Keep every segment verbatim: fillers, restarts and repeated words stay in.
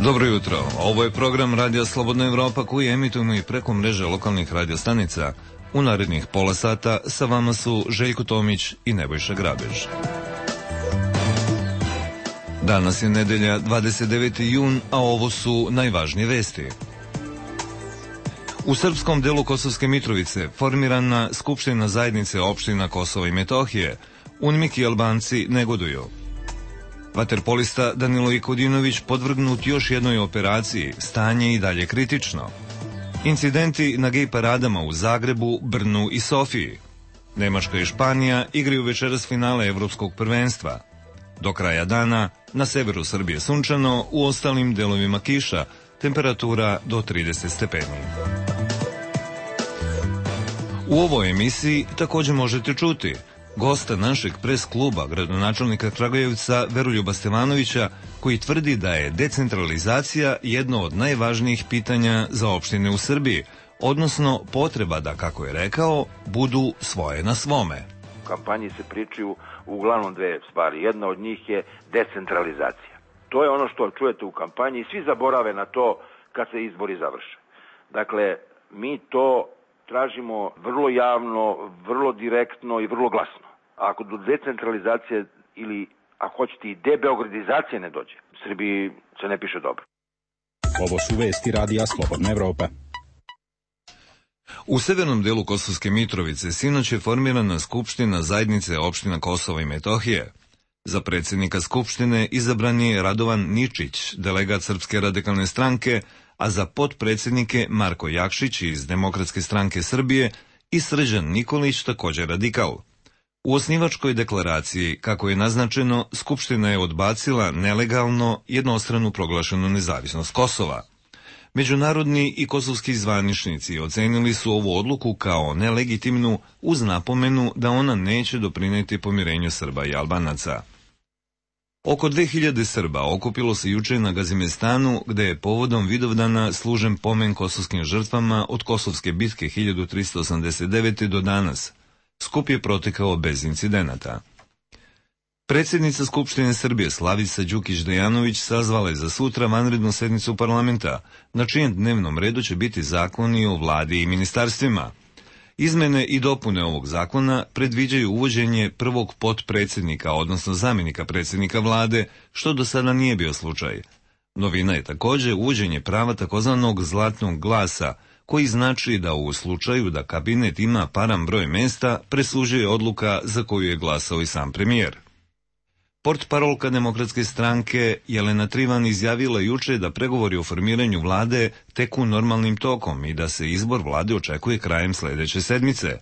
Dobro jutro, ovo je program Radija Slobodna Evropa koji emitujemo i preko mreže lokalnih radiostanica. U narednih pola sata sa vama su Željko Tomić i Nebojša Grabež. Danas je nedelja dvadeset deveti jun, a ovo su najvažnije vesti. U srpskom delu Kosovske Mitrovice formirana Skupština zajednice opština Kosova i Metohije. Unmik i Albanci negoduju. Vaterpolista Danilo Ikodinović podvrgnut još jednoj operaciji, stanje i dalje kritično. Incidenti na gej paradama u Zagrebu, Brnu i Sofiji. Nemačka i Španija igraju večeras finale Evropskog prvenstva. Do kraja dana na severu Srbije sunčano, u ostalim delovima kiša, temperatura do trideset stepeni. U ovoj emisiji također možete čuti gosta našeg pres kluba, gradonačelnika Kragujevca Veroljuba Stevanovića, koji tvrdi da je decentralizacija jedno od najvažnijih pitanja za opštine u Srbiji, odnosno potreba da, kako je rekao, budu svoje na svome. U kampanji se pričaju uglavnom dve stvari. Jedna od njih je decentralizacija. To je ono što čujete u kampanji i svi zaborave na to kad se izbori završe. Dakle, mi to tražimo vrlo javno, vrlo direktno i vrlo glasno. A ako do decentralizacije ili, ako hoćete, i debeogradizacije ne dođe, Srbiji se ne piše dobro. Ovo su vesti Radija Slobodna Evropa. U severnom delu Kosovske Mitrovice sinoć je formirana Skupština zajednice opština Kosova i Metohije. Za predsjednika Skupštine izabran je Radovan Ničić, delegat Srpske radikalne stranke, a za potpredsjednike Marko Jakšić iz Demokratske stranke Srbije i Srđan Nikolić, također radikal. U osnivačkoj deklaraciji, kako je naznačeno, Skupština je odbacila nelegalno jednostranu proglašenu nezavisnost Kosova. Međunarodni i kosovski zvaničnici ocenili su ovu odluku kao nelegitimnu uz napomenu da ona neće doprinijeti pomirenju Srba i Albanaca. Oko dve hiljade Srba okupilo se juče na Gazimestanu, gde je povodom Vidovdana služen pomen kosovskim žrtvama od Kosovske bitke hiljadu tristo osamdeset devete. do danas. Skup je protekao bez incidenata. Predsjednica Skupštine Srbije Slavica Đukić-Dejanović sazvala je za sutra vanrednu sednicu parlamenta, na čijem dnevnom redu će biti zakoni o vladi i ministarstvima. Izmene i dopune ovog zakona predviđaju uvođenje prvog potpredsjednika, odnosno zamjenika predsjednika vlade, što do sada nije bio slučaj. Novina je također uvođenje prava takozvanog zlatnog glasa, koji znači da u slučaju da kabinet ima paran broj mjesta, presuđuje odluka za koju je glasao i sam premijer. Portparolka Demokratske stranke Jelena Trivan izjavila juče da pregovori o formiranju vlade teku normalnim tokom i da se izbor vlade očekuje krajem sljedeće sedmice.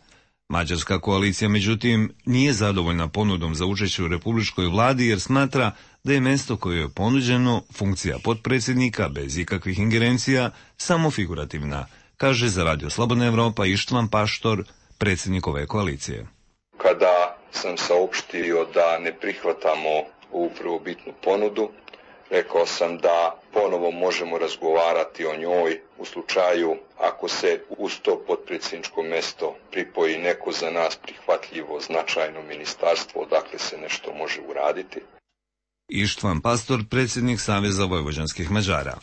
Mađarska koalicija, međutim, nije zadovoljna ponudom za učešće u republičkoj vladi jer smatra da je mjesto koje je ponuđeno, funkcija potpredsjednika bez ikakvih ingerencija, samo figurativna, kaže za Radio Slobodna Evropa Ištvan Paštor, predsjednik ove koalicije. Kada sam saopštio da ne prihvatamo ovu prvobitnu ponudu, rekao sam da ponovo možemo razgovarati o njoj u slučaju ako se uz to potpredsjedničko mjesto pripoji neko za nas prihvatljivo značajno ministarstvo, odakle se nešto može uraditi. Ištvan Pastor, predsjednik Saveza vojvođanskih Mađara.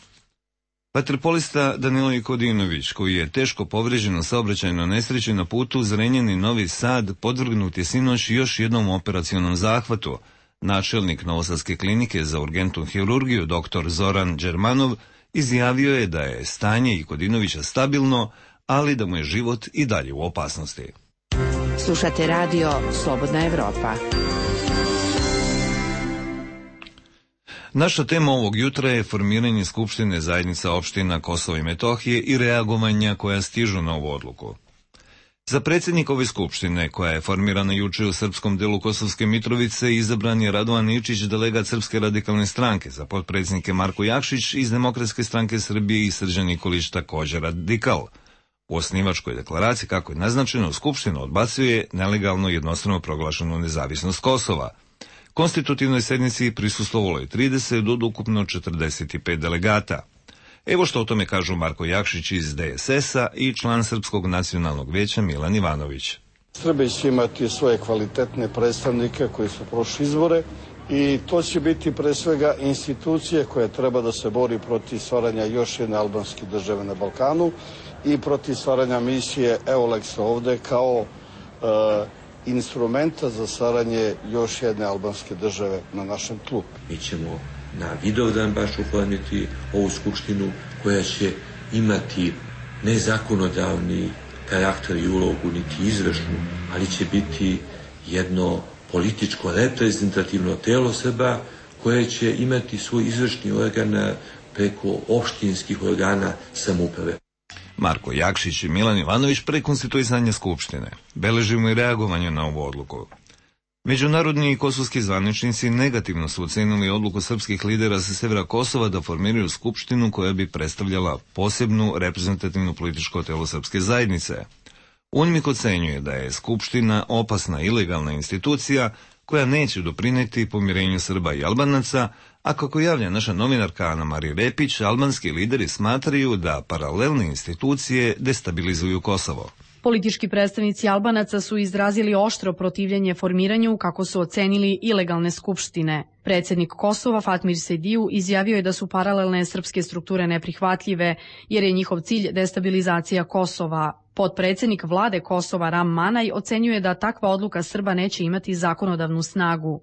Vaterpolista Danilo Ikodinović, koji je teško povrijeđen u saobraćajnoj nesreći na putu Zrenjanin-Novi Sad, podvrgnut je sinoć još jednom operacionom zahvatu. Načelnik Novosadske klinike za urgentnu hirurgiju dr. Zoran Đermanov izjavio je da je stanje Ikodinovića stabilno, ali da mu je život i dalje u opasnosti. Slušate radio Slobodna Evropa. Naša tema ovog jutra je formiranje Skupštine zajednica opština Kosova i Metohije i reagovanja koja stižu na ovu odluku. Za predsjednik ove skupštine, koja je formirana juče u srpskom delu Kosovske Mitrovice, izabran je Radovan Ničić, delegat Srpske radikalne stranke, za potpredsjednike Marko Jakšić iz Demokratske stranke Srbije i Srđan Nikolić, također radikal. U osnivačkoj deklaraciji, kako je naznačeno, Skupština odbacuje nelegalno jednostrano proglašenu nezavisnost Kosova. Konstitutivnoj sednici prisustvovalo je trideset od ukupno četrdeset pet delegata. Evo što o tome kažu Marko Jakšić iz D S S-a i član Srpskog nacionalnog vijeća Milan Ivanović. Srbija će imati svoje kvalitetne predstavnike koji su prošli izbore I to će biti pre svega institucije koja treba da se bori protiv stvaranja još jedne albanske države na Balkanu i protiv stvaranja misije EULEX ovde kao e, instrumenta za stvaranje još jedne albanske države na našem tlu. Mi ćemo na Vidovdan baš oformiti ovu skupštinu koja će imati ne zakonodavni karakter i ulogu, niti izvršnu, ali će biti jedno političko reprezentativno telo Srba koje će imati svoj izvršni organ preko opštinskih organa samouprave. Marko Jakšić i Milan Ivanović pre konstituisanja Skupštine beležimo i reagovanje na ovu odluku. Međunarodni i kosovski zvaničnici negativno su ocenili odluku srpskih lidera sa severa Kosova da formiraju skupštinu koja bi predstavljala posebnu reprezentativnu političko telo srpske zajednice. UNMIK ocenjuje da je skupština opasna ilegalna institucija koja neće doprineti pomirenju Srba i Albanaca, a kako javlja naša novinarka Ana Marija Repić, albanski lideri smatraju da paralelne institucije destabilizuju Kosovo. Politički predstavnici Albanaca su izrazili oštro protivljenje formiranju, kako su ocenili, ilegalne skupštine. Predsjednik Kosova Fatmir Sediju izjavio je da su paralelne srpske strukture neprihvatljive, jer je njihov cilj destabilizacija Kosova. Potpredsjednik vlade Kosova Ram Manaj ocenjuje da takva odluka Srba neće imati zakonodavnu snagu.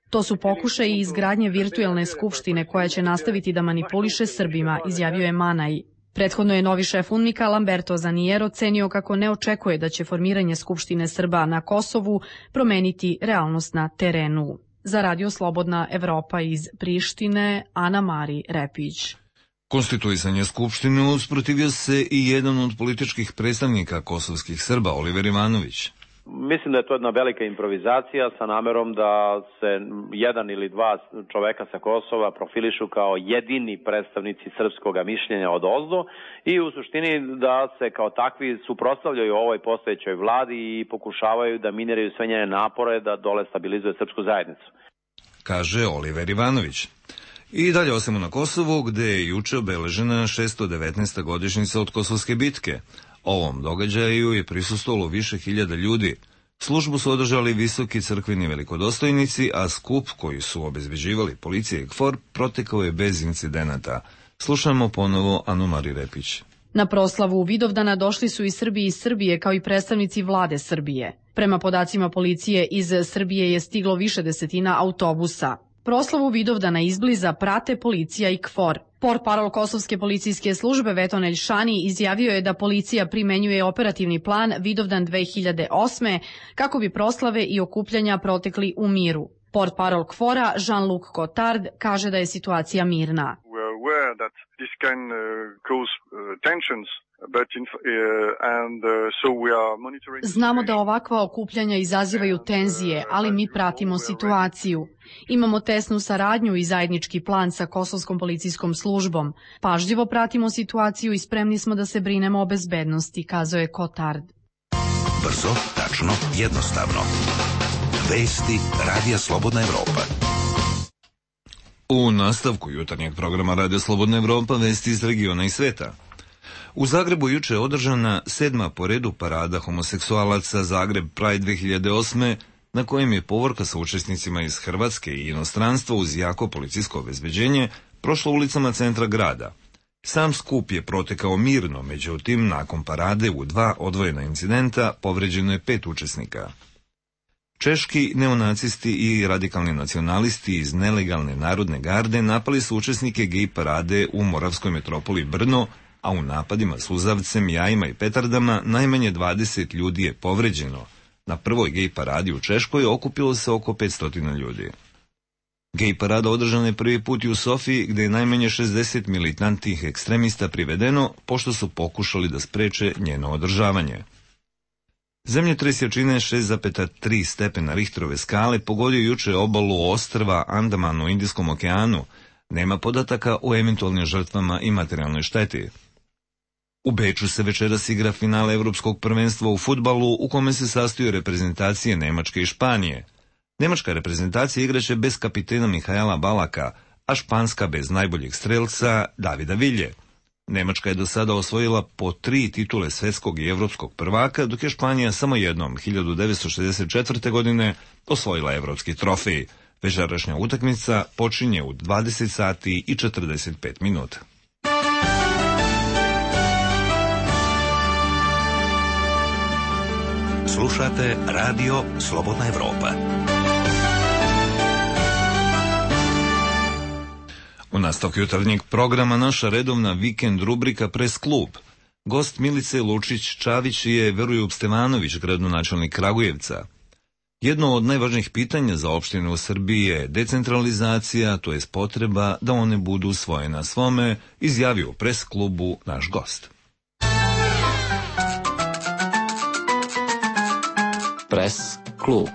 To su pokušaji izgradnje virtuelne skupštine koja će nastaviti da manipuliše Srbima, izjavio je Manaj. Prethodno je novi šef UNMIK-a Lamberto Zanier ocenio kako ne očekuje da će formiranje Skupštine Srba na Kosovu promeniti realnost na terenu. Za Radio Slobodna Evropa iz Prištine, Ana Mari Repić. Konstituisanje Skupštine usprotivio se i jedan od političkih predstavnika kosovskih Srba, Oliver Ivanović. Mislim da je to jedna velika improvizacija sa namerom da se jedan ili dva čoveka sa Kosova profilišu kao jedini predstavnici srpskog mišljenja od ozdo i u suštini da se kao takvi suprotstavljaju ovoj postojećoj vladi i pokušavaju da miniraju sve njene napore da dole stabilizuje srpsku zajednicu. Kaže Oliver Ivanović. I dalje ostajemo na Kosovu, gde je juče obeležena šesto devetnaesta godišnjica od Kosovske bitke. Ovom događaju je prisustvovalo više hiljada ljudi. Službu su održali visoki crkveni velikodostojnici, a skup koji su obezbeđivali policija i KFOR protekao je bez incidenata. Slušamo ponovo Anu Mari Repić. Na proslavu Vidovdana došli su i Srbi iz Srbije kao i predstavnici vlade Srbije. Prema podacima policije, iz Srbije je stiglo više desetina autobusa. Proslavu Vidovdana izbliza prate policija i KFOR. Portparol Kosovske policijske službe Veton Elšani izjavio je da policija primenjuje operativni plan Vidovdan dve hiljade osme kako bi proslave i okupljanja protekli u miru. Portparol KFOR-a Jean-Luc Cotard kaže da je situacija mirna. Znamo da ovakva okupljanja izazivaju tenzije, ali mi pratimo situaciju. Imamo tesnu saradnju i zajednički plan sa Kosovskom policijskom službom. Pažljivo pratimo situaciju i spremni smo da se brinemo o bezbednosti, kazao je Cotard. Brzo, tačno, jednostavno. Vesti Radija Slobodna Evropa. U nastavku jutarnjeg programa Radio Slobodna Evropa vesti iz regiona i sveta. U Zagrebu juče je održana sedma po redu parada homoseksualaca Zagreb Pride dve hiljade osme, na kojem je povorka sa učesnicima iz Hrvatske i inostranstva uz jako policijsko obezbeđenje prošla ulicama centra grada. Sam skup je protekao mirno, međutim, nakon parade u dva odvojena incidenta povređeno je pet učesnika. Češki neonacisti i radikalni nacionalisti iz nelegalne narodne garde napali su učesnike gej parade u moravskoj metropoli Brno, a u napadima suzavcem, jajima i petardama najmanje dvadeset ljudi je povređeno. Na prvoj gej paradi u Češkoj okupilo se oko petsto ljudi. Gej parada održana je prvi put i u Sofiji, gde je najmanje šezdeset militantnih ekstremista privedeno, pošto su pokušali da spreče njeno održavanje. Zemljotres jačine šest zarez tri stepena Richterove skale pogodio juče obalu ostrva Andaman u Indijskom okeanu. Nema podataka o eventualnim žrtvama i materijalnoj šteti. U Beču se večeras igra finale Evropskog prvenstva u fudbalu, u kome se sastoje reprezentacije Nemačke i Španije. Nemačka reprezentacija igraće bez kapitena Mihaela Balaka, a španska bez najboljeg strelca Davida Vilje. Nemačka je do sada osvojila po tri titule svetskog i evropskog prvaka, dok je Španija samo jednom, hiljadu devetsto šezdeset četvrte. godine, osvojila evropski trofej. Večerašnja utakmica počinje u dvadeset sati i četrdeset pet minuta. Slušate Radio Slobodna Evropa. U nastavku jutarnjeg programa naša redovna vikend rubrika Pres klub. Gost Milice Lučić-Čavić je Veroljub Stevanović, gradonačelnik Kragujevca. Jedno od najvažnijih pitanja za opštine u Srbiji je decentralizacija, to je potreba da one budu svoje na svome, izjavio u Pres klubu naš gost. Pres klub.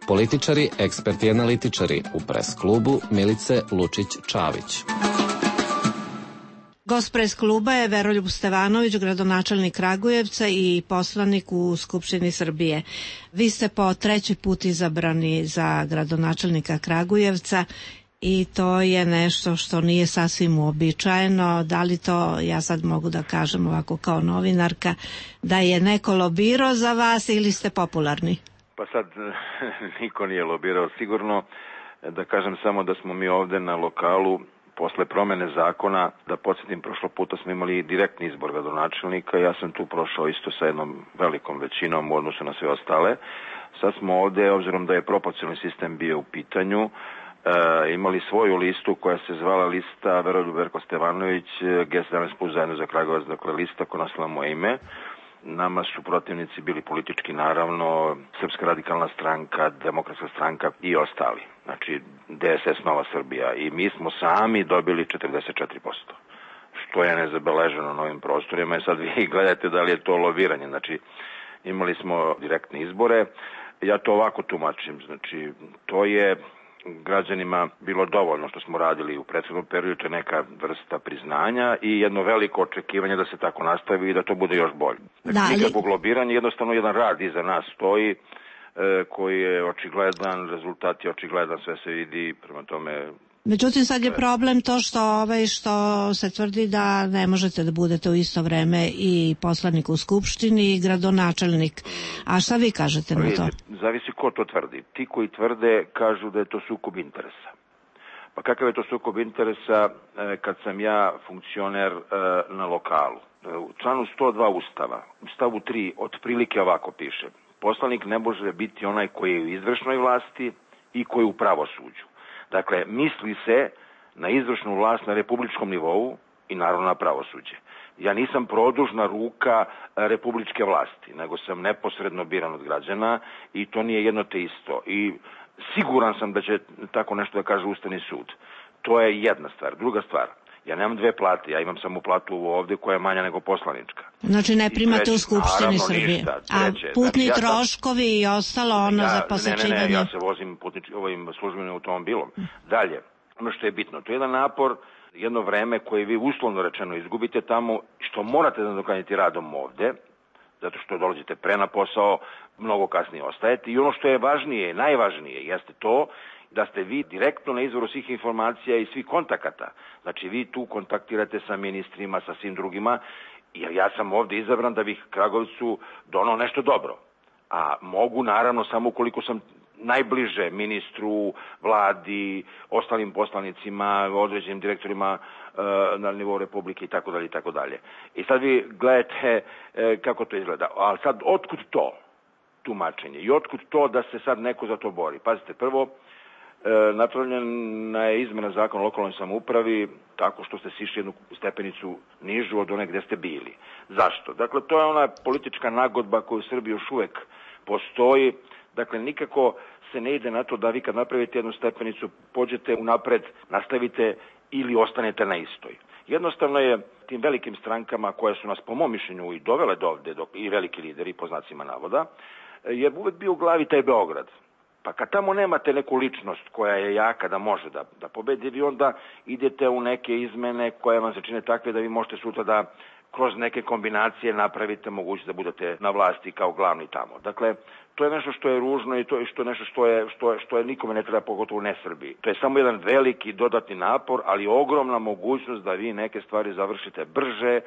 Političari, eksperti i analitičari u Pres klubu Milice Lučić-Čavić. Gost Pres kluba je Veroljub Stevanović, gradonačelnik Kragujevca i poslanik u Skupštini Srbije. Vi ste po treći put izabrani za gradonačelnika Kragujevca i to je nešto što nije sasvim uobičajeno. Da li to, ja sad mogu da kažem ovako kao novinarka, da je neko lobirao za vas ili ste popularni? Pa sad niko nije lobirao sigurno. Da kažem samo da smo mi ovde na lokalu posle promene zakona, da podsjetim, prošlo puta smo imali direktni izbor gradonačelnika, ja sam tu prošao isto sa jednom velikom većinom u odnosu na sve ostale. Sad smo ovde, obzirom da je proporcionalni sistem bio u pitanju, e, imali svoju listu koja se zvala lista Veroljub Verko Stevanović, G sedamnaest plus zajedno za Kragujevac, dakle lista koja nosila moje ime. Nama su protivnici bili politički, naravno, Srpska radikalna stranka, Demokratska stranka i ostali. Znači, D S S Nova Srbija. I mi smo sami dobili četrdeset četiri posto. Što je nezabeleženo na ovim prostorima. I sad vi gledajte da li je to lobiranje. Znači, imali smo direktne izbore. Ja to ovako tumačim. Znači, to je građanima bilo dovoljno što smo radili u prethodnom periodu, to je neka vrsta priznanja i jedno veliko očekivanje da se tako nastavi i da to bude još bolje. Znači, nikakvog lobiranja, jednostavno jedan rad iza nas stoji, e, koji je očigledan, rezultat je očigledan, sve se vidi, prema tome... Međutim, sad je problem to što, ovaj, što se tvrdi da ne možete da budete u isto vreme i poslanik u Skupštini i gradonačelnik. A šta vi kažete na to? Zavisi ko to tvrdi. Ti koji tvrde kažu da je to sukob interesa. Pa kakav je to sukob interesa kad sam ja funkcioner na lokalu? U članu sto dva Ustava, u stavu tri, otprilike ovako piše. Poslanik ne može biti onaj koji je u izvršnoj vlasti i koji je u pravosuđu. Dakle, misli se na izvršnu vlast na republičkom nivou i naravno na pravosuđe. Ja nisam produžna ruka republičke vlasti, nego sam neposredno biran od građana i to nije jedno te isto. I siguran sam da će tako nešto da kaže Ustavni sud. To je jedna stvar. Druga stvar, ja nemam dve plate, ja imam samo platu ovde koja je manja nego poslanička. Znači ne primate treći, u Skupštini Srbije. Ništa, treće, a putni znači, ja troškovi sam, i ostalo ono ja, za posjećivanje? Ne, ne, ne, ja se vozim putnič, ovim službenim automobilom. Dalje, ono što je bitno, to je jedan napor, jedno vreme koje vi uslovno rečeno izgubite tamo, što morate da nadoknadite radom ovde, zato što dolazite pre na posao, mnogo kasnije ostajete. I ono što je važnije, najvažnije, jeste to da ste vi direktno na izvoru svih informacija i svih kontakata. Znači vi tu kontaktirate sa ministrima, sa svim drugima, jer ja sam ovde izabran da bih Kragujevcu donao nešto dobro. A mogu naravno samo ukoliko sam najbliže ministru, vladi, ostalim poslanicima, određenim direktorima e, na nivou Republike i tako dalje i tako dalje. I sad vi gledate e, kako to izgleda. Ali sad otkud to tumačenje i otkud to da se sad neko za to bori? Pazite, prvo, E, napravljena je izmena zakona o lokalnoj samoupravi tako što ste sišli jednu stepenicu nižu od one gde ste bili. Zašto? Dakle, to je ona politička nagodba koja u Srbiji još uvek postoji. Dakle, nikako se ne ide na to da vi kad napravite jednu stepenicu pođete unapred, nastavite ili ostanete na istoj. Jednostavno je tim velikim strankama koje su nas po mom mišljenju i dovele do ovde, do, i veliki lideri po znacima navoda, je uvek bio u glavi taj Beograd. Pa kad tamo nemate neku ličnost koja je jaka da može da, da pobedi, vi onda idete u neke izmene koje vam se čine takve da vi možete sutra da kroz neke kombinacije napravite mogućnost da budete na vlasti kao glavni tamo. Dakle, to je nešto što je ružno i to je što nešto što je što je što je nikome ne treba, pogotovo ne Srbiji. To je samo jedan veliki dodatni napor, ali ogromna mogućnost da vi neke stvari završite brže,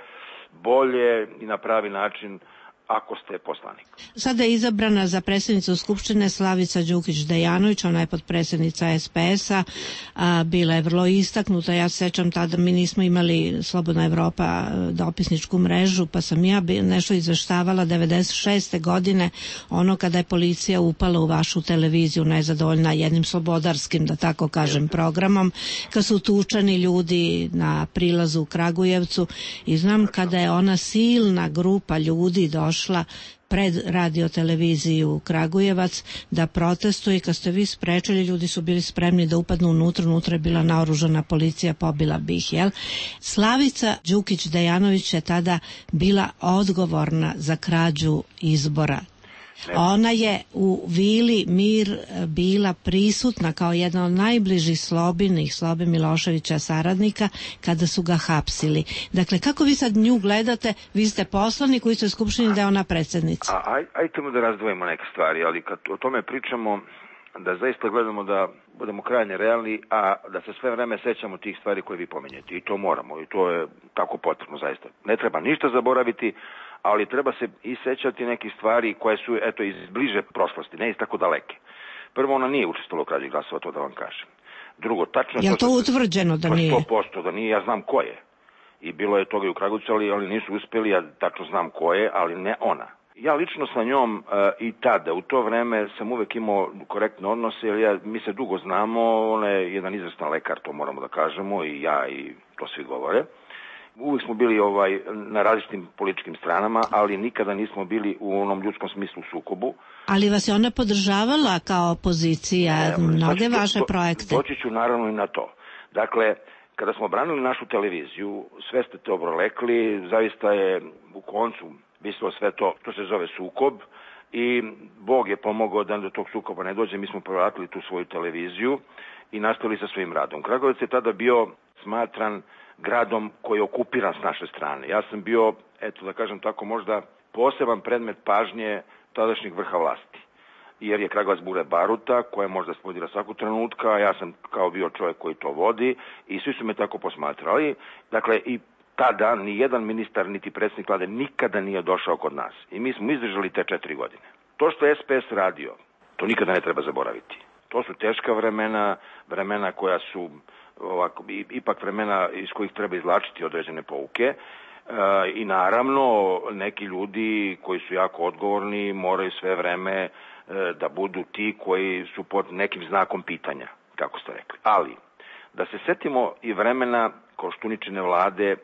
bolje i na pravi način ako ste poslanik. Sada je izabrana za predsjednicu Skupštine Slavica Đukić-Dejanović, ona je potpredsjednica es pe es a, a bila je vrlo istaknuta. Ja se sećam, tada mi nismo imali Slobodna Evropa dopisničku mrežu, pa sam ja nešto izveštavala devedeset šeste godine, ono kada je policija upala u vašu televiziju nezadovoljna jednim slobodarskim, da tako kažem, programom, kad su tučani ljudi na prilazu u Kragujevcu i znam kada je ona silna grupa ljudi došla pred radioteleviziju Kragujevac da protestuje, kad ste vi sprečili, ljudi su bili spremni da upadnu unutra, unutra je bila naoružana policija, pobila bi ih, jel? Slavica Đukić-Dejanović je tada bila odgovorna za krađu izbora. Ona je u Vili Mir bila prisutna kao jedna od najbližih Slobinih, Slobe Miloševića saradnika, kada su ga hapsili. Dakle, kako vi sad nju gledate? Vi ste poslanik koji ste u Skupštini, da je ona predsjednica. A, aj, ajtemo da razdvojimo neke stvari, ali kad o tome pričamo, da zaista gledamo da budemo krajnje realni, a da se sve vreme sećamo tih stvari koje vi pominjete. I to moramo, i to je tako potrebno zaista. Ne treba ništa zaboraviti, ali treba se i sećati nekih stvari koje su, eto, iz bliže prošlosti, ne iz tako daleke. Prvo, ona nije učestvovala u krađi glasova, to da vam kažem. Drugo, tačno... Je to, to utvrđeno da nije? sto posto da nije, ja znam ko je. I bilo je toga i u Kragujevcu, ali, ali nisu uspeli, ja tačno znam ko je, ali ne ona. Ja lično sa njom uh, i tada, u to vreme, sam uvek imao korektne odnose, jer ja, mi se dugo znamo, ona je jedan izvrstan lekar, to moramo da kažemo, i ja, i to svi govore. Uvijek smo bili ovaj na različitim političkim stranama, ali nikada nismo bili u onom ljudskom smislu sukobu. Ali vas je ona podržavala kao opozicija, ne, mnoge to, vaše to, projekte? Doći ću naravno i na to. Dakle, kada smo branili našu televiziju, sve ste to obrolekli, zaista je u koncu vislo sve to što se zove sukob i Bog je pomogao da do tog sukoba ne dođe. Mi smo povratili tu svoju televiziju i nastavili sa svojim radom. Kragujevac je tada bio smatran gradom koji je okupiran s naše strane. Ja sam bio, eto da kažem tako, možda poseban predmet pažnje tadašnjeg vrha vlasti. Jer je Kragujevac bure baruta koja je možda spodila svakog trenutka, a ja sam kao bio čovjek koji to vodi i svi su me tako posmatrali. Dakle, i tada ni jedan ministar niti predsjednik vlade nikada nije došao kod nas. I mi smo izdržali te četiri godine. To što je es pe es radio, to nikada ne treba zaboraviti. To su teška vremena, vremena koja su ovako, ipak vremena iz kojih treba izvlačiti određene pouke e, i naravno neki ljudi koji su jako odgovorni moraju sve vreme e, da budu ti koji su pod nekim znakom pitanja, kako ste rekli. Ali, da se setimo i vremena Koštuničine vlade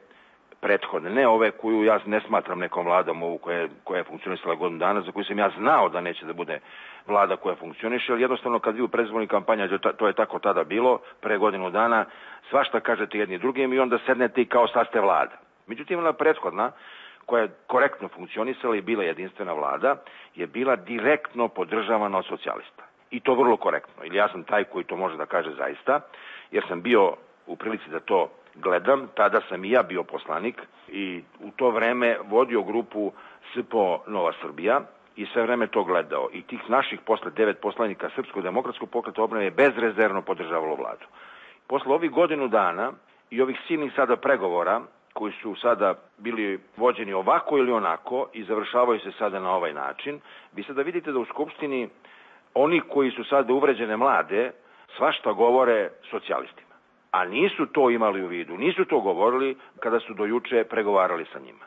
prethodne, ne ove koju ja ne smatram nekom vladom ovu koja, koja je funkcionisala godinu dana, za koju sam ja znao da neće da bude vlada koja funkcioniše, ali jednostavno kad vi u predizbornoj kampanji, to je tako tada bilo, pre godinu dana, svašta kažete jedni drugim i onda sednete i kao sad ste vlada. Međutim, ona prethodna, koja je korektno funkcionisala i bila jedinstvena vlada, je bila direktno podržavana od socijalista. I to vrlo korektno. Ili ja sam taj koji to može da kaže zaista, jer sam bio u prilici da to gledam, tada sam i ja bio poslanik i u to vreme vodio grupu S P O Nova Srbija i sve vreme to gledao. I tih naših posle devet poslanika Srpskog demokratskog pokreta obnove je bezrezervno podržavalo vladu. Posle ovih godinu dana i ovih silnih sada pregovora koji su sada bili vođeni ovako ili onako i završavaju se sada na ovaj način, vi sada vidite da u Skupštini oni koji su sada uvređene mlade svašta govore socijalistima. A nisu to imali u vidu, nisu to govorili kada su do juče pregovarali sa njima.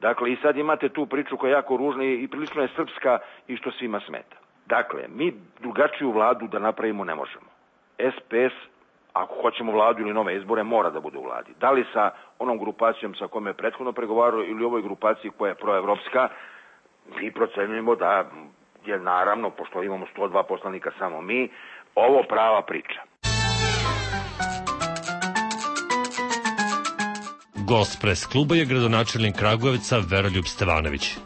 Dakle, i sad imate tu priču koja je jako ružna i prilično je srpska i što svima smeta. Dakle, mi drugačiju vladu da napravimo ne možemo. es pe es, ako hoćemo vladu ili nove izbore, mora da bude u vladi. Da li sa onom grupacijom sa kojom je prethodno pregovarao ili ovoj grupaciji koja je proevropska, mi procenjujemo da je naravno, pošto imamo sto dva poslanika samo mi, ovo prava priča. Gost pres kluba je gradonačelnik Kragujevca Veroljub Stevanović.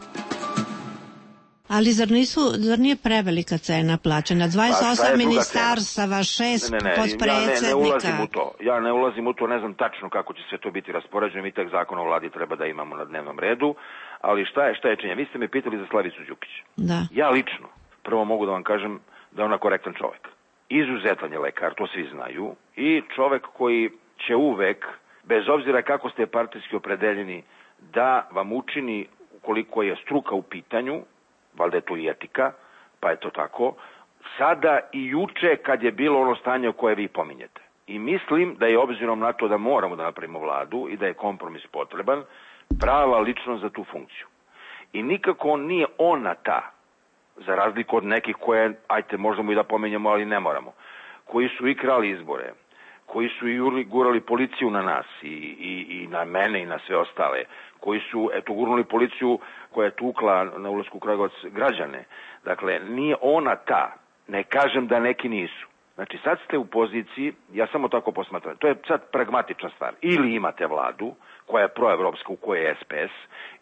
Ali zar, nisu, zar nije prevelika cena plaćena? dvadeset osam ministarstava, šest podpredsednika. Ja ne, ne ulazim u to. Ja ne ulazim u to, ne znam tačno kako će sve to biti raspoređeno. Mi tek zakon o vladi treba da imamo na dnevnom redu. Ali šta je, šta je činjenje? Vi ste me pitali za Slavicu Đukić. Da. Ja lično, prvo mogu da vam kažem da je ona korektan čovek. Izuzetan je lekar, to svi znaju. I čovek koji će uvek, bez obzira kako ste partijski opredeljeni, da vam učini, ukoliko je struka u pitanju, valjda je to i etika, pa je to tako, sada i juče kad je bilo ono stanje o koje vi pominjete. I mislim da je obzirom na to da moramo da napravimo vladu i da je kompromis potreban, prava ličnost za tu funkciju. I nikako nije ona ta, za razliku od nekih koje, ajte možemo i da pominjamo, ali ne moramo, koji su i krali izbore, koji su i gurali policiju na nas i, i, i na mene i na sve ostale, koji su, eto, gurnuli policiju koja je tukla na ulasku u Kragujevac građane. Dakle, nije ona ta, ne kažem da neki nisu. Znači, sad ste u poziciji, ja samo tako posmatram, to je sad pragmatična stvar. Ili imate vladu koja je proevropska, u kojoj je S P S,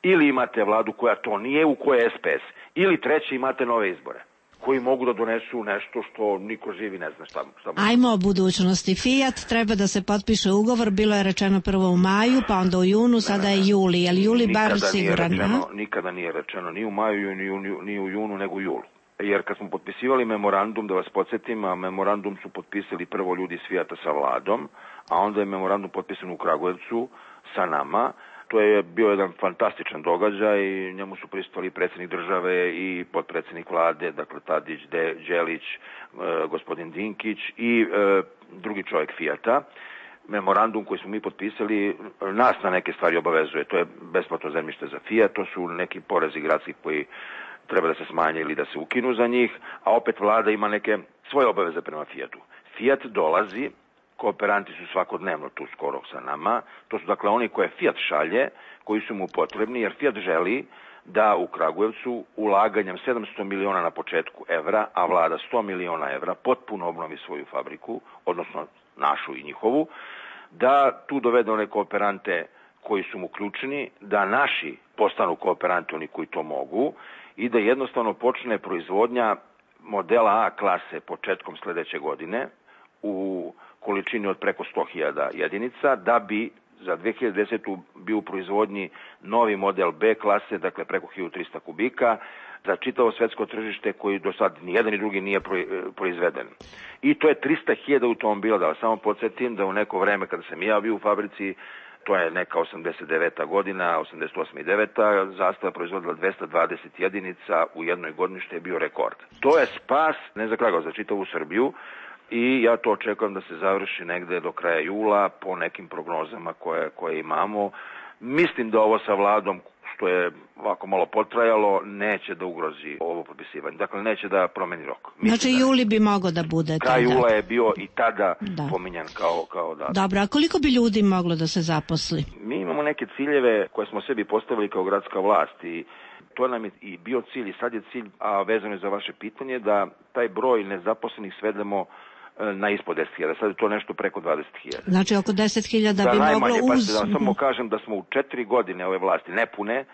ili imate vladu koja to nije, u kojoj je S P S, ili treće imate nove izbore, koji mogu da donesu nešto što niko živi ne zna šta. šta Ajmo o budućnosti. Fiat treba da se potpiše ugovor, bilo je rečeno prvo u maju, pa onda u junu, sada je juli. Je li juli bar siguran? Rečeno, nikada nije rečeno ni u maju, ni u, ni u junu, nego u julu. Jer kad smo potpisivali memorandum, da vas podsjetim, a memorandum su potpisali prvo ljudi iz Fijata sa vladom, a onda je memorandum potpisan u Kragujevcu sa nama. To je bio jedan fantastičan događaj i njemu su prisustvovali predsjednik države i potpredsjednik vlade, dakle Tadić, De, Đelić, e, gospodin Dinkić i e, drugi čovjek Fijata. Memorandum koji smo mi potpisali nas na neke stvari obavezuje. To je besplatno zemljište za Fijat, to su neki porezi gradski koji treba da se smanje ili da se ukinu za njih, a opet vlada ima neke svoje obaveze prema Fijatu. Fijat dolazi, kooperanti su svakodnevno tu skoro sa nama, to su dakle oni koje Fijat šalje, koji su mu potrebni, jer Fijat želi da u Kragujevcu ulaganjem sedamsto miliona na početku evra, a vlada sto miliona evra, potpuno obnovi svoju fabriku, odnosno našu i njihovu, da tu dovede one kooperante koji su mu ključni, da naši postanu kooperanti, oni koji to mogu, i da jednostavno počne proizvodnja modela A klase početkom sledeće godine u količini od preko sto hiljada jedinica, da bi za dve hiljade desetu bio u proizvodnji novi model B klase, dakle preko hiljadu trista kubika, za čitavo svetsko tržište koji do sad ni jedan ni drugi nije proizveden. I to je trista hiljada automobila, da vas samo podsjetim da u neko vreme kada sam ja bio u fabrici, to je neka osamdeset deveta godina, osamdeset osma i deveta Zastava proizvodila dvesta dvadeset jedinica u jednoj godini, što je bio rekord. To je spas, ne za Kragujevac, za čitavu Srbiju, i ja to očekujem da se završi negde do kraja jula po nekim prognozama koje, koje imamo. Mislim da ovo sa vladom, što je ovako malo potrajalo, neće da ugrozi ovo potpisivanje. Dakle, neće da promeni rok. Mislim znači, da juli bi mogo da bude tada. Kraj jula je bio i tada da. pominjan kao, kao datum. Dobro, a koliko bi ljudi moglo da se zaposli? Mi imamo neke ciljeve koje smo sebi postavili kao gradska vlast i to nam je i bio cilj i sad je cilj, a vezano je za vaše pitanje, da taj broj nezaposlenih svedemo na ispod deset hiljada. Sad je to nešto preko dvadeset hiljada. Znači oko deset hiljada bi najmanje, moglo uz... Pa da samo kažem da smo u četiri godine ove vlasti nepune,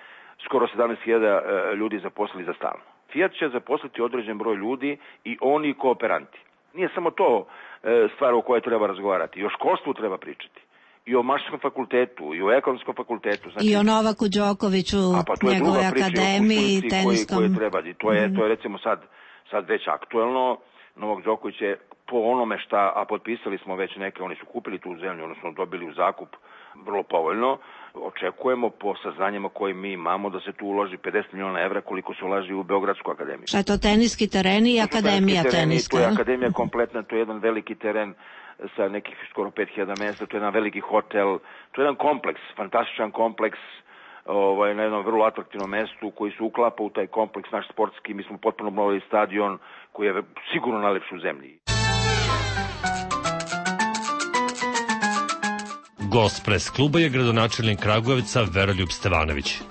skoro sedamnaest hiljada ljudi zaposlili za stalno. Fijat će zaposliti određen broj ljudi i oni kooperanti. Nije samo to stvar o kojoj treba razgovarati. I o školstvu treba pričati. I o Mašarskom fakultetu, i o Ekonomskom fakultetu. Znači, i o Novaku Đokoviću, pa njegove akademiji, tenskom. Koje treba. I to je, mm-hmm. to je recimo sad, sad već aktuelno. Novak Đoković je po onome šta, a potpisali smo već neke, oni su kupili tu zemlju, odnosno dobili u zakup vrlo povoljno. Očekujemo po saznanjima koje mi imamo da se tu uloži pedeset miliona evra koliko se ulaži u Beogradsku akademiju. Šta je to, teniski tereni i akademija teniska? To je akademija kompletna, to je jedan veliki teren sa nekih skoro pet hiljada mesta, to je jedan veliki hotel, to je jedan kompleks, fantastičan kompleks, ovaj, na jednom vrlo atraktivnom mestu koji se uklapa u taj kompleks naš sportski. Mi smo potpuno obnovili stadion koji je sigurno najlepši u zemlji. Gost pres kluba je gradonačelnik Kragujevca Veroljub Stevanović.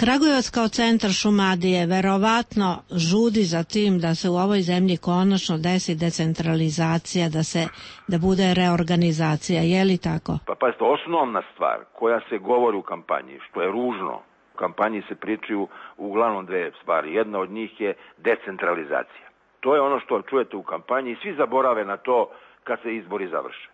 Kragujevac kao centar Šumadije verovatno žudi za tim da se u ovoj zemlji konačno desi decentralizacija, da se da bude reorganizacija, je li tako? Pa pazite, osnovna stvar koja se govori u kampanji, što je ružno, U kampanji se pričaju uglavnom dve stvari. Jedna od njih je decentralizacija. To je ono što čujete u kampanji i svi zaborave na to kad se izbori završe.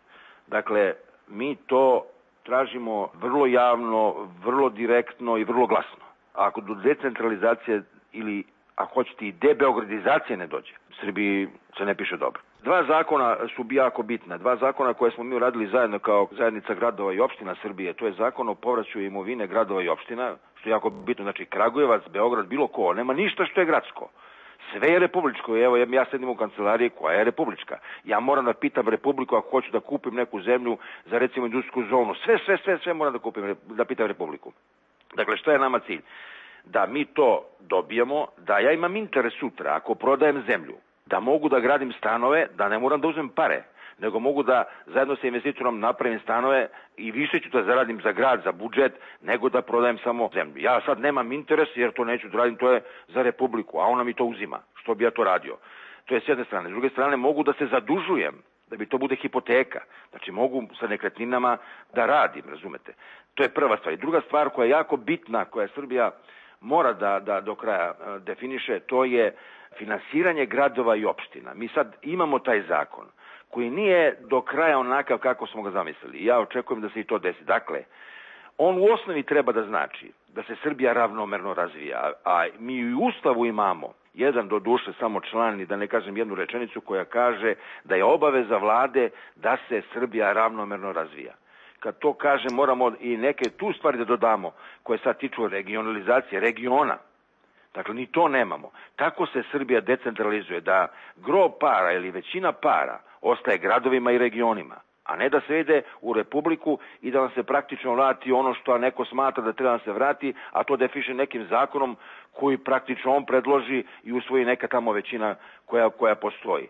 Dakle, mi to tražimo vrlo javno, vrlo direktno i vrlo glasno. A ako do decentralizacije ili, ako hoćete, i debeogradizacije ne dođe, Srbiji se ne piše dobro. Dva zakona su jako bitna. Dva zakona koje smo mi uradili zajedno kao zajednica gradova i opština Srbije. To je zakon o povraćaju imovine gradova i opština, što je jako bitno. Znači, Kragujevac, Beograd, bilo ko, nema ništa što je gradsko. Sve je republičko. Evo, ja sedim u kancelariji koja je republička. Ja moram da pitam Republiku ako hoću da kupim neku zemlju za, recimo, industrijsku zonu. Sve, sve, sve, sve moram da kupim, da pitam Republiku. Dakle, što je nama cilj? Da mi to dobijemo, da ja imam interes sutra, ako prodajem zemlju, da mogu da gradim stanove, da ne moram da uzmem pare, nego mogu da zajedno sa investitorom napravim stanove i više ću da zaradim za grad, za budžet, nego da prodajem samo zemlju. Ja sad nemam interes jer to neću da radim, to je za Republiku, a ona mi to uzima. Što bi ja to radio? To je s jedne strane. S druge strane, mogu da se zadužujem, da bi to bude hipoteka. Znači, mogu sa nekretninama da radim, razumete? To je prva stvar. I druga stvar koja je jako bitna, koja Srbija mora da, da do kraja definiše, to je finansiranje gradova i opština. Mi sad imamo taj zakon koji nije do kraja onakav kako smo ga zamislili. Ja očekujem da se i to desi. Dakle, on u osnovi treba da znači da se Srbija ravnomerno razvija, a mi u Ustavu imamo jedan, do duše, samo član, i da ne kažem jednu rečenicu koja kaže da je obaveza vlade da se Srbija ravnomerno razvija. Kad to kaže, moramo i neke tu stvari da dodamo koje sad tiču regionalizacije, regiona. Dakle, ni to nemamo. Tako se Srbija decentralizuje, da gro para ili većina para ostaje gradovima i regionima, a ne da se ide u Republiku i da nam se praktično vrati ono što neko smatra da treba da se vrati, a to defiše nekim zakonom koji praktično on predloži i usvoji neka tamo većina koja, koja postoji.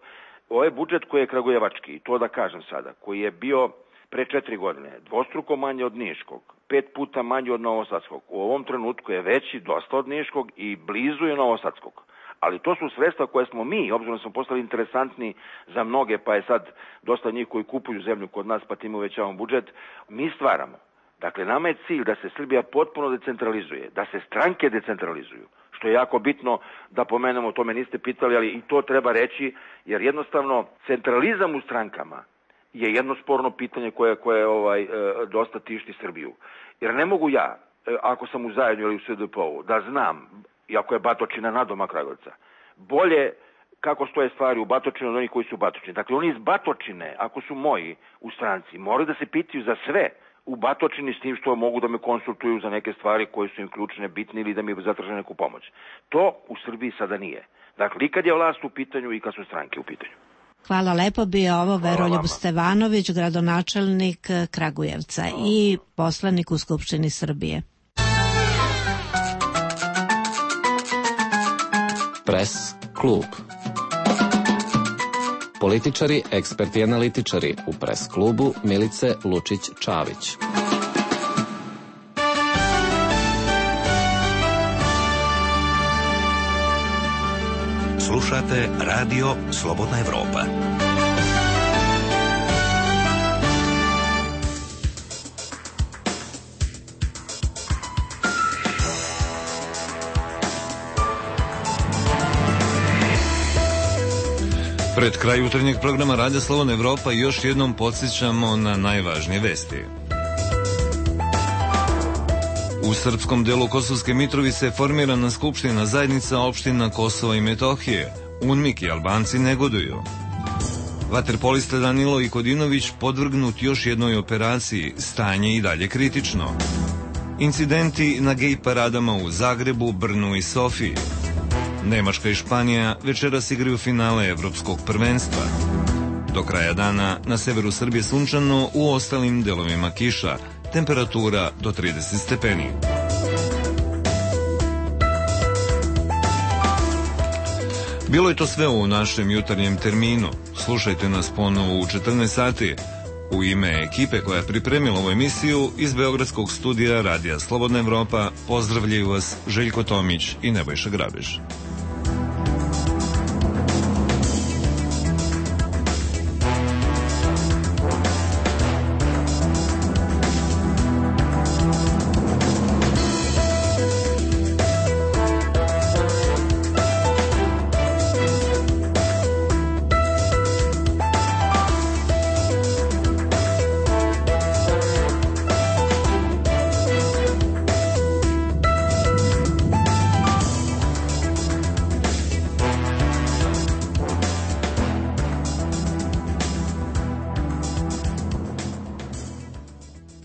Ovo je budžet koji je kragujevački, to da kažem sada, koji je bio pre četiri godine dvostruko manje od Niškog, pet puta manje od Novosadskog. U ovom trenutku je veći dosta od Niškog i blizu je Novosadskog. Ali to su sredstva koje smo mi, obzirom smo postali interesantni za mnoge, pa je sad dosta njih koji kupuju zemlju kod nas, pa tim uvećavamo budžet, mi stvaramo. Dakle, nama je cilj da se Srbija potpuno decentralizuje, da se stranke decentralizuju, što je jako bitno da pomenemo, o tome niste pitali, ali i to treba reći, jer jednostavno centralizam u strankama je jedno sporno pitanje koje, koje ovaj, dosta tišti Srbiju. Jer ne mogu ja, ako sam u Zajednju ili u S D P O-u, da znam, iako je Batočina nadomak Kragujevca, bolje kako stoje stvari u Batočini od onih koji su u Batočini. Dakle, oni iz Batočine, ako su moji u stranci, moraju da se pitaju za sve u Batočini, s tim što mogu da me konsultuju za neke stvari koje su im ključne, bitne ili da mi zatraže neku pomoć. To u Srbiji sada nije. Dakle, i kad je vlast u pitanju i kad su stranke u pitanju. Hvala lepo, bio ovo Veroljub Stevanović, gradonačelnik Kragujevca i poslanik u Skupštini Srbije. Pres klub. Političari, eksperti i analitičari u Pres klubu Milice Lučić-Čavić. Slušate Radio Slobodna Evropa. Pred kraj jutarnjeg programa Radija Slobodna Evropa još jednom podsjećamo na najvažnije vesti. U srpskom delu Kosovske Mitrovice je formirana skupština zajednica opština Kosova i Metohije. UNMIK i Albanci negoduju. Vaterpolista Danilo Ikodinović podvrgnut još jednoj operaciji, stanje i dalje kritično. Incidenti na gej paradama u Zagrebu, Brnu i Sofiji. Nemačka i Španija večeras igraju finale evropskog prvenstva. Do kraja dana na severu Srbije sunčano, u ostalim delovima kiša. Temperatura do trideset stepeni. Bilo je to sve u našem jutarnjem terminu. Slušajte nas ponovo u četrnaest sati. U ime ekipe koja je pripremila ovu emisiju iz Beogradskog studija Radija Slobodna Evropa pozdravljaju vas Željko Tomić i Nebojša Grabež.